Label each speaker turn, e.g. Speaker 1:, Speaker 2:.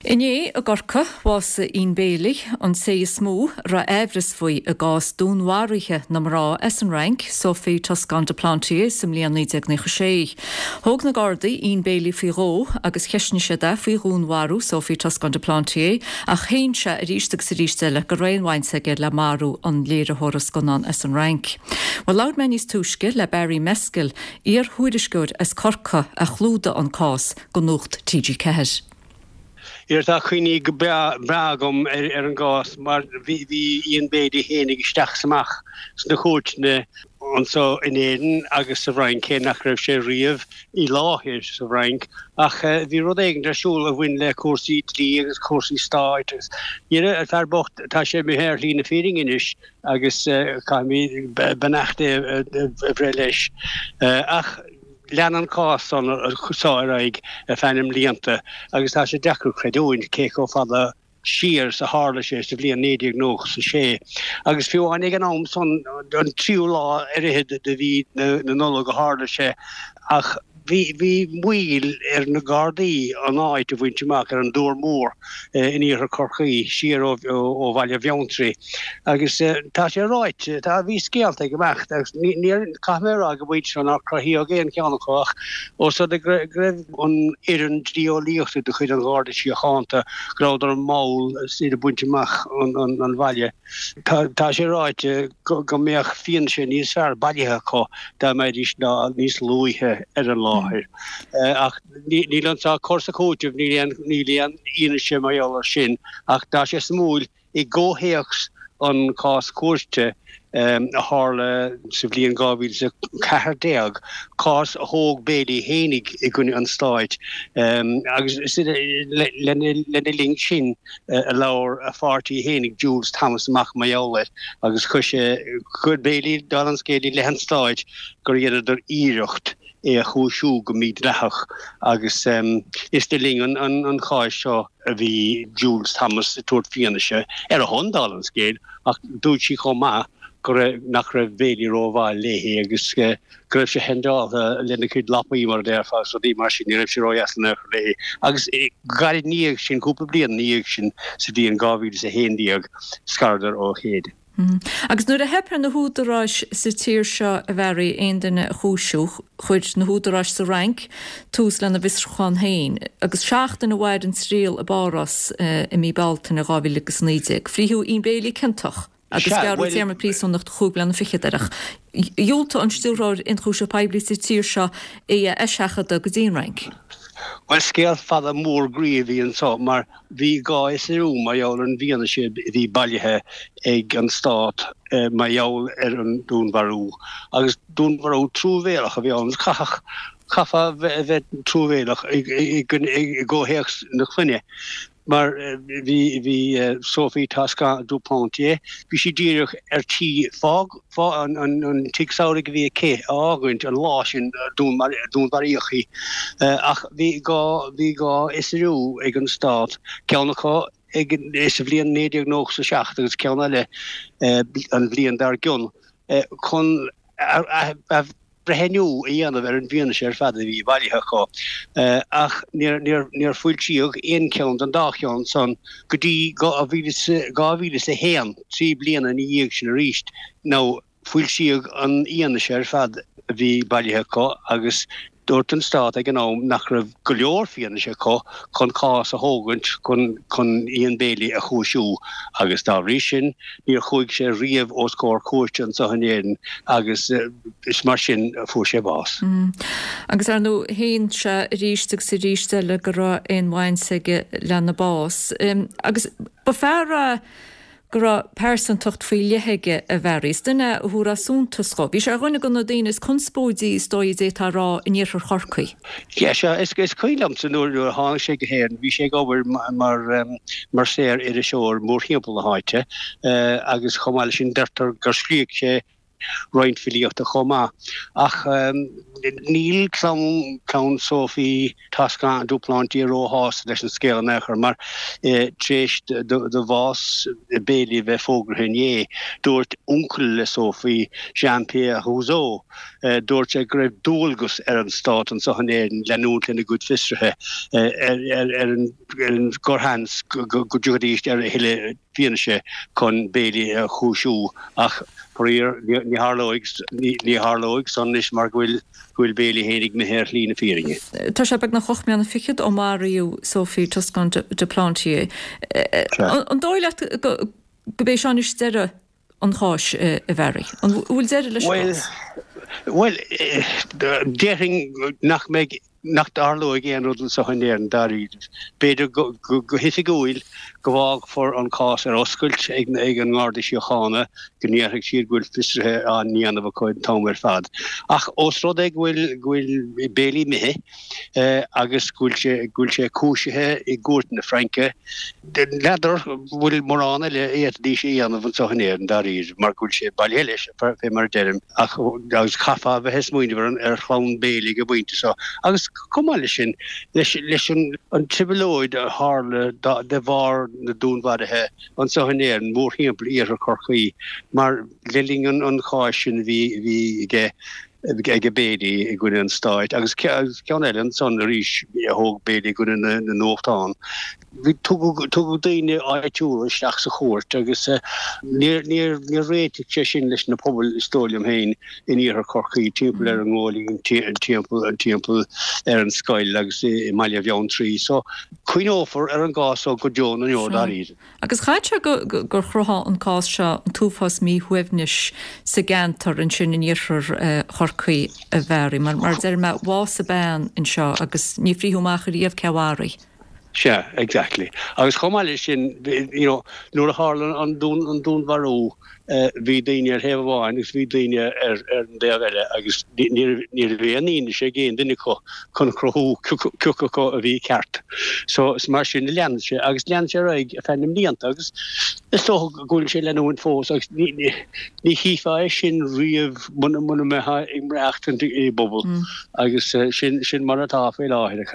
Speaker 1: Inné i gCorcaigh, bhásaigh Ian Bailey, an té is mó a raibh aimhreas faoi i gcás dúnmharaithe na mná as an Fhrainc, Sophie Toscan du Plantier, sa mbliain 1996. Thóg na Gardaí Ian Bailey faoi dhó agus cheistnigh siad é faoi dhúnmharú Sophie Toscan du Plantier ach shéan sé arís agus arís eile go raibh aon bhaint aige le marú an léiritheora scannán as an Fhrainc. Bhuel, labhair mé níos túisce le Barry Meskill, iar-thuairisceoir as Corcaigh a chlúdaigh an cás do Nuacht TG4.
Speaker 2: Yeah, tá cuimhní go breá agam ar an gcás mar bhí Ian Bailey fhéinig isteach is amach sna cúirteanna anso in Éirinn agus sa bhFrainc, cé nach raibh sé riamh i láthair sa bhFrainc. Ach bhí rud éigin ar siúl a bhain le cúrsaí dlí agus cúrsaí stáit agus dhera, an fear bocht, tá sé imithe ar shlí na fírinne anois agus caithfimid beannacht Dé a bhreith leis. Ach. Lean an cás seo ar aghaidh ar feadh na mblianta agus tá sé deacair creidiúint cé chomh fada siar is a tharla sé sa bhliain 1996. Agus fiú amháin ag an am san, an tríú lá ar fhichead de mhí na Nollag a tharla sé, ach bhí bhí moill ar na Gardaí an áit a bhaint amach ar an dTuar Mór in iarthar Chorcaí, siar ó Bhaile Bheanntraí. Agus tá sé ráite, tá, bhí scéalta ag imeacht agus níor, caithfidh mé a rá ag an bpointe seo nár cruthaíodh aon cheann acu ach ós rud é go raibh an fhoireann dlí-eolaíochta de chuid an Gharda Síochána, go rabhadar mall iad ag baint amach an bhaile. Tá sé ráite go mbeadh fianaise níos fearr bailithe acu dá mbeidís níos luaithe ar an láthair. Ach níl anso cur is cúiteamh, níl aon fhianaise mar gheall air sin ach tá sé suimiúil I gcomhthéacs an cás cúirte a tharla sa bhliain 2014, cás a thóg Bailey fhéinig i gcoinne an stáit, agus lena linn sin a labhair a pháirtí fhéinig Jules Thomas amach mar gheall air agus chuir sé, chuir Bailey, dála an scéil, i leith an stáit gur dheineadar iarracht é a chúisiú go mídhleathach agus is le linn an cháis seo a bhí Jules Thomas ag tabhairt fianaise ar a shon, dála an scéil, ach dúirt sí chomh maith go raibh, nach raibh Bailey rómhaith léi agus go raibh sé hendáilte lena chuid lapaí, mar a déarfá, agus rudaí mar sin, ní raibh sé ródheas in aon chor léi. Agus gairid ina dhiaidh sin, cúpla bliain ina dhiaidh sin, sa bhliain 2011, scaradar ó chéile.
Speaker 1: Agus nuair a theip ar na húdaráis sa tír seo, a Bharry, aon duine a chúisiú, chuir na húdaráis sa Fhrainc tús lena bhfiosrúchán féin, agus seachtain a mhair an triail i bPáras i mí Bealtaine 2019. Frítheadh Ian Bailey ciontach agus gearradh téarma príosúnachta chúig bliana fichead air, ach dhiúltaigh an Stiúrthóir Ionchúiseamh Poiblí sa tír seo é a eiseachadadh go dtí an Fhrainc.
Speaker 2: Bhuel, scéal fada mór groí a bhí anso, mar Bhí dhá fhiosrú mar gheall ar an bhfianaise a bhí bailithe ag an Stát mar gheall ar an dúnmharú, agus dúnmharú truamhéalach a bhí ann. Chaithfeadh, chaithfeá a bheith truamhéalach i gcomhthéacs na clainne, mar bhí, bhí Sophie Toscan du Plantier, bhí sí díreach ar tí fág, an tigh samhraidh a bhí aici a fhágaint an lá sin a dúnmharaíodh í. Ach bhí dhá bhí dhá fhiosrú ag an Stát, ceann acu ag sa bhliain 1997 agus ceann eile an bhliain dár gcionn, chun breithniú a dhéanamh ar an bhfianaise ar fad a bhí bailithe acu, ach níor foilsíodh aon cheann den dá cheann san go dtí 2001, 3 bliana ina dhiaidh sin arís, nó foilsíodh an fhianaise ar fad a bhí bailithe acu agus dúirt an Stát ag an am nach raibh go leor fianaise acu chun cás a thógaint chun Ian Bailey a chúisiú agus dá bhrí sin níor chuaigh sé riamh os comhair cúirte anseo in Éirinn agus is mar sin a fuair sé bás.
Speaker 1: Agus ar ndóigh shéan sé arís agus arís eile go raibh aon bhaint aige lena bás. Agus ba fear é go raibh pearsantacht faoi leith aige, a Bharry. Is duine é a thabharfá suntas dhó. Bhí sé ar dhuine de na daoine is conspóidí, is dóigh, a d'fhéadfá a rá, in iarthar Chorcaí.
Speaker 2: Yeah, sea, is cuimhin liomsa nuair a tháinig sé go hÉirinn, bhí sé ag obair mar mar saor-iriseoir mórthimpeall na háite agus chomh maith leis sin deirtear gur scríobh sé. roinnt filíochta chomh maith. Ach níl clann, clann Sophie Toscan du Plantier róshásta leis an scéal in aon chor mar tar éis do bhás Bailey a bheith fógraithe inné, dúirt uncail le Sophie, Jean-Pierre Rouzaud, dúirt sé go raibh dualgas ar an stát anseo in Éirinn leanúint lena gcuid fiosruithe ar an gcorrsheans go dtiocfaidís ar a thuilleadh fianaise chun Bailey a chúisiú ach faraor ní tharlóidh ní tharlóidh san anois mar go bhfuil go bhfuil Bailey fhéinig imithe ar shlí na fírinne.
Speaker 1: Tá sé beagnach 8 mbliana fichead ó maraíodh Sophie Toscan du Plantier. An dóigh leat go b'é seo anois deireadh an cháis, a Bharry? An bhfuil deireadh leis an gcás?
Speaker 2: Bhuel, déarfainn nach mbeidh, nach dtarlóidh aon rud anseo in Éirinn dáiríre. B'fhéidir go hoifigiúil go bhfágfar an cás ar oscailt ag an nGarda Síochána, go ndéarfaidh siad go bhfuil fiosruithe á ndéanamh acu an t-am ar fad. Ach ós rud é go bhfuil, go bhfuil Bailey imithe, agus go bhfuil sé, go bhfuil sé cúisithe i gcúirt na Fraince. N'fheadar bhfuil mórán eile a fhéadfaidís a dhéanamh anseo in Éirinn dáiríre mar go bhfuil sé bailithe leis, fé mar a deirim, ach agus chaithfeá a bheith ag smaoineamh ar chlann Bailey ag an bpointe seo. Agus chomh maith leis sin, leis, leis an, an trioblóid a tharla de bharr na dúnmharuithe anseo in Éirinn, mórthimpeall iarthar Chorcaí, mar le linn an, an cháis sin a bhí, a bhí aige, ag Bailey i gcoinne an stáit agus ceann eile ansan arís a thóg Bailey i gcoinne na nuachtán. Tugadh daoine áitiúla isteach sa chúirt agus níor réitigh sé sin leis na pobail is dóigh liom féin in iarthar Chorcaí, timpeall ar an nGóilín, timpeall ar an scoil agus i mBaile Bheanntraí. So cuimhneofar ar an gcás so go deo na ndeor dáiríre.
Speaker 1: Agus chaithfeadh sé gur chruthaigh an cás seo an t-uafás míshuaimhnis sa gceantar ansin in iarthar Chorcaí, a Bharry, mar mar a deir mé, bhásaigh bean anseo agus ní frítheadh amach ariamh cé a mharaigh.
Speaker 2: Sea, exactly. Agus chomh maith leis sin, you know, nuair a tharla an dúnmharú, Bhí daoine ar thaobh amháin agus bhí daoine ar an dtaobh eile agus ní raibh aon fhianaise ag aon duine acu chun cruthú cé acu a bhí ceart. So is mar sin a lean sé agus lean sé ar aghaidh ar feadh na mblianta agus is dócha go bhfuil sé ag leanúint fós agus ní chífeá é sin riamh muna mbeifeá ag maireachtaint i bpobal agus sin mar atá faoi láthair.